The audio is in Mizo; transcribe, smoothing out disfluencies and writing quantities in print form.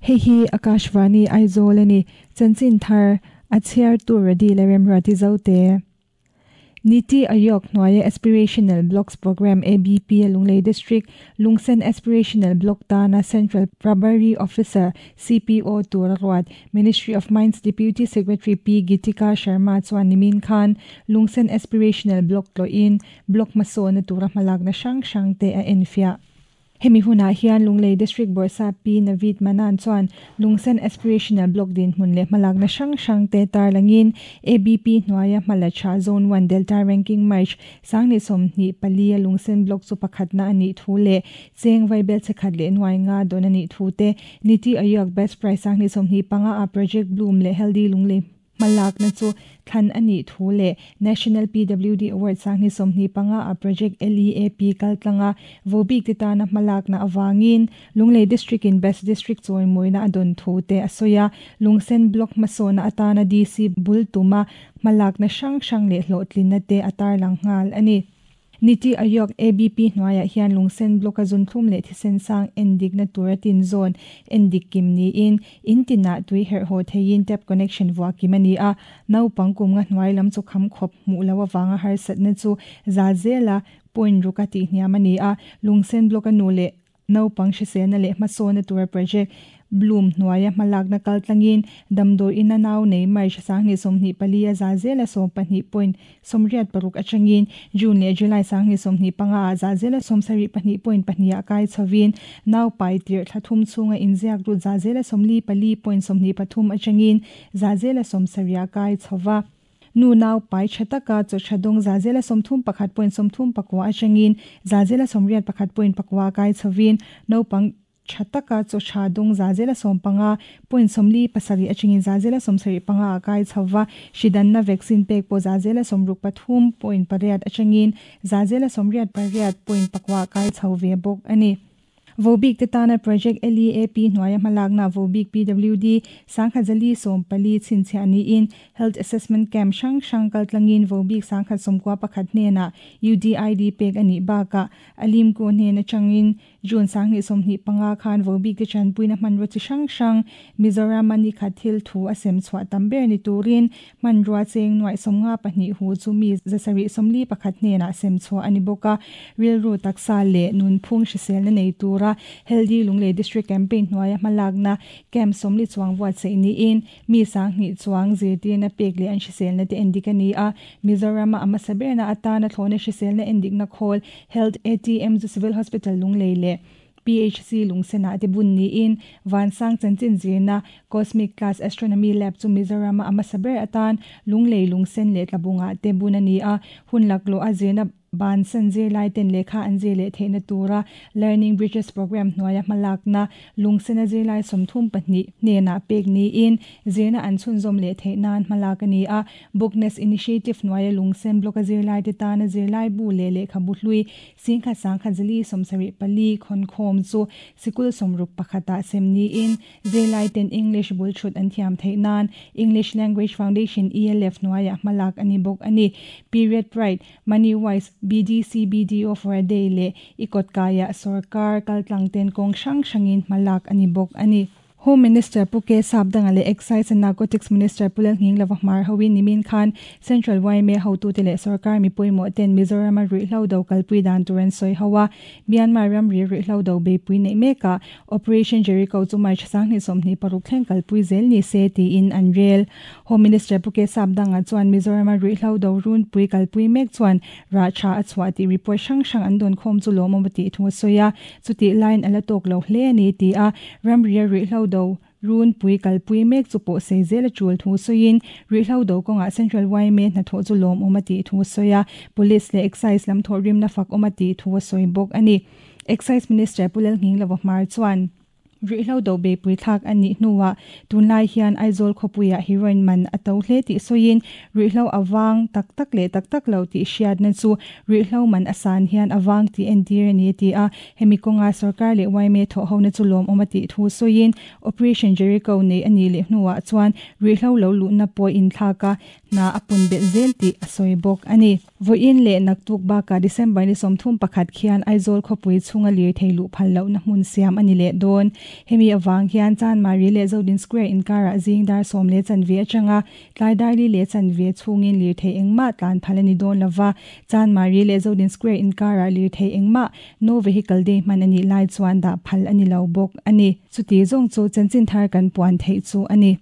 Hei hi Akashvani Aizawl a ni. Chanchin thar a chhiartu Radi leh Remruati Zote. Niti Aayog hnuaia Aspirational Blocks Programme, ABP, a Lunglei District Lungsen Aspirational Block tana Central Prabhari Officer, CPO, tur a ruat. Ministry of Mines Deputy Secretary Pi Gitika Sharma chuan nimin khan Lungsen Aspirational Block tlawhin Block hmasawhna tura hmalakna hrang hrang te a enfiah. Hemi hunah hian Lunglei District Bawrhsap Pi Naveed Manan chuan Lungsen Aspirational Block dinhmun leh hmalakna hrang hrang te tarlangin ABP hnuaia hmala tha Zone One Delta Ranking March 2024 a Lungsen Block chu pakhatna a nih thu leh cheng vaibel chhe khat leh nuai nga dawn a nih thu te Niti Aayog Best Prize 2025 a Project Bloom leh Healthy Lunglei Hmalakna chu thlan a nih thu leh National PWD Award 2025 a Project LEAP kaltlanga vobik te tana hmalakna avangin Lunglei District in Best District chawimawina a dawn thu te a sawi a. Lungsen Block hmasawhna atana DC bul tuma hmalakna hrang hrang leh hlawhtlinna te a tarlang nghal a ni. Niti Aayog, ABP, hnuaiah hian lungsen block a zunthlum leh thisen sang endikna tura tin zawn endik kim niin in tinah tui herh haw theiin tap connection vuah kim a ni a. Naupang kum nga hnuai lam chu kham khawp hmuh loh avanga harsatna chu za zela point ruk a tihhniam a ni a. Lungsen block a nu leh Naupang hriselna leh hmasawna tura project Bloom hnuaia hmalakna kal tlangin damdawi ina nau nei March 2024 a za zela 12 point 86 atangin June leh July 2025 ah za zela 72 point pahnih ah kai chhovin nau pai tirh thla thum chhunga inziak lut za zela 44 point 23 atangin za zela 70 ah kai chhova. Nu nau pai tha taka chaw tha dawng zazela 31 point 39 atangin zazela 81 point pakua kai chhovin naupang tha taka chaw tha dawng zazela 15 point 47 atangin zazela 75 a kai chhova hridanna vaccine pek pawh zazela 63 point pariat atangin zazela 88 point pakua kai chho ve bawk a ni. Vobik te tana Project LEAP hnuaia hmalakna Vobik PWD 1014 chhinchhiah niin Health Assessment Camp hrang hrang kaltlangin Vobik 1091 hnenah UDID pek a nih bakah Alimku hnen atangin June 2025 khan Vobik te tanpuina hmanrua chi hrang hrang Mizoram a nikhat thil thu a sem chhuah tam ber ni turin hmanrua cheng nuaih 52 hu chu mi 741 hnenah sem chhuah a ni bawk a. Rilru taksa leh nunphung hriselna nei tura Healthy Lunglei District Campaign hnuaia hmalakna camp 40 chuang buatsaih niin mi 2000 chuang zirtirna pek leh an hriselna te endik a ni a. Mizoram-a a hmasa berna atana thlawhna hriselna endikna khawl Health ATM chu Civil Hospital Lunglei leh PHC Lungsenah te bun niin Vansang chanchin zirna Cosmic Class Astronomy Lab chu Mizoram-a a hmasa ber atan Lunglei Lungsen leh Tlabungah te bun a ni a. Hun laklawh a zirna Bansan zirlaiten lehkha an zir leh theihna tura Learning Bridges Programme hnuaia hmalakna lungsena zirlai 32 hnenah pek niin zirna an chhunzawm leh theih nan hmalak a ni a. Bookness Initiative hnuaia lungsen block-a zirlaite tana zirlai bu leh lehkhabu hlui 10,174 khawnkhawm chu sikul 61 ah sem niin Zirlaiten English bul thut an thiam theih nan English Language Foundation, ELF, hnuaiah hmalak a ni bawk a ni. Period Pride, Money Wise, BDC BDO for a Day leh i kawtkaiah sawrkar kaltlangten kawng hrang hrangin hmalak a ni bawk a ni. Home Minister Pu K Sapdanga leh Excise and Narcotics Minister Pu Lalnghinglova hmar hoin nimin khan Central yma hotute leh sawrkar mi pawimawh ten Mizoram-a ruihhlo do kalpui dan tur an sawi ho a. Myanmar ramri ruihhlo do beipui neih mekah Operation Jericho chu March 2026 thleng kalpui zel ni se tiin an rel. Home Minister Pu K Sapdanga chuan Mizoram-a ruihhlo do runpui kalpui mek chuan rah tha a chhuah tih report hrang hrang an dawn khawm chu lawmawm a tih thu a sawi a, chutih laiin a la tawk lo hle a ni ti a, ramria ruihhlo do runpui kalpui mek chu pawh sei zel a tul thu sawiin ruihhlo do kawngah Central yma hnathawh chu lawmawm a tih thu a sawi a, Police leh Excise lam thawhrimna fak awm a tih thu a sawi bawk a ni. Excise Minister Pu Lalnghinglova Hmar chuan, Ruihhlo do beipui thlak a nih hnuah tunlai hian Aizawl khawpuiah heroin man a to hle tih sawiin, ruihhlo a vang tak tak leh tak tak lo tih hriatna chu ruihhlo man a san hian a vang tih entir a ni a ti a. Hemi kawnga sorkar leh yma thawhhona chu lawmawm a tih thu sawiin, Operation Jericho neih a nih leh hnuah chuan ruihhlo lo luhna pawh inthlak a, Hna a pun belh zel tih a sawi bawk a ni. Vawiin leh naktuk bakah December ni 31 khian Aizawl khawpui chhunga lirthei luh phal lohna hmun siam a ni leh dawn. Hemi avang hian Chanmari leh Zodin Square inkarah zing dar 10 leh chanve atanga tlai dar 4 leh chanve chhungin lirthei engmah tlan phal a ni dawn lova. Chanmari leh Zodin Square inkarah lirthei engmah No Vehicle Day hman a nih lai chuan dah phal a ni lo bawk a ni. Chuti zawng chu chanchin thar kan puan theih chu a ni.